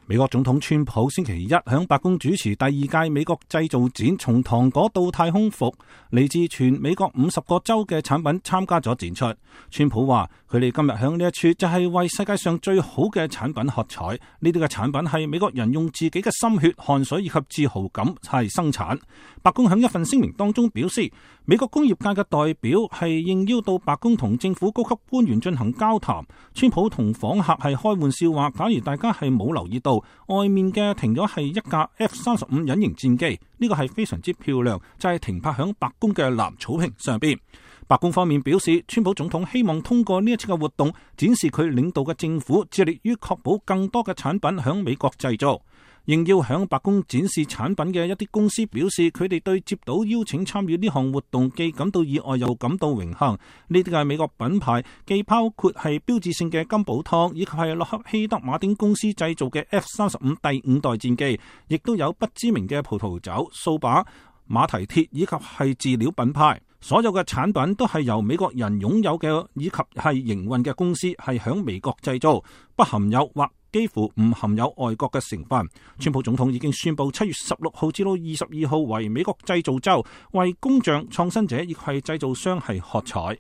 美國總統川普星期一響白宮主持第二屆美國製造展，從糖果到太空服，嚟自全美國50個州嘅產品參加咗展出。川普話：佢哋今日響呢一處就係為世界上最好嘅產品喝彩。呢啲嘅產品係美國人用自己嘅心血、汗水以及自豪感係生產。白宮響一份聲明當中表示，美國工業界嘅代表係應邀到白宮同政府高級官員進行交談。川普同訪客係開玩笑話：假如大家係冇留意到，外面嘅停咗係一架 F-35隱形戰機，呢個係非常之漂亮，就係停泊響白宮嘅藍草坪上邊。白宮方面表示，川普總統希望通過呢一次嘅活動，展示佢領導嘅政府致力於確保更多嘅產品響美國製造。應邀響白宮展示產品嘅一啲公司表示，佢哋對接到邀請參與呢項活動既感到意外又感到榮幸。呢啲嘅美國品牌既包括係標誌性嘅金寶湯，以及係洛克希德馬丁公司製造嘅 F-35第5代戰機，亦都有不知名嘅葡萄酒、掃把、馬蹄鐵以及係飼料品牌。所有嘅產品都係由美國人擁有嘅，以及係營運嘅公司係響美國製造，不含有或幾乎唔含有外國嘅成分。川普總統已經宣布7月16號至到22號為美國製造週，為工匠、創新者以及係製造商係喝彩。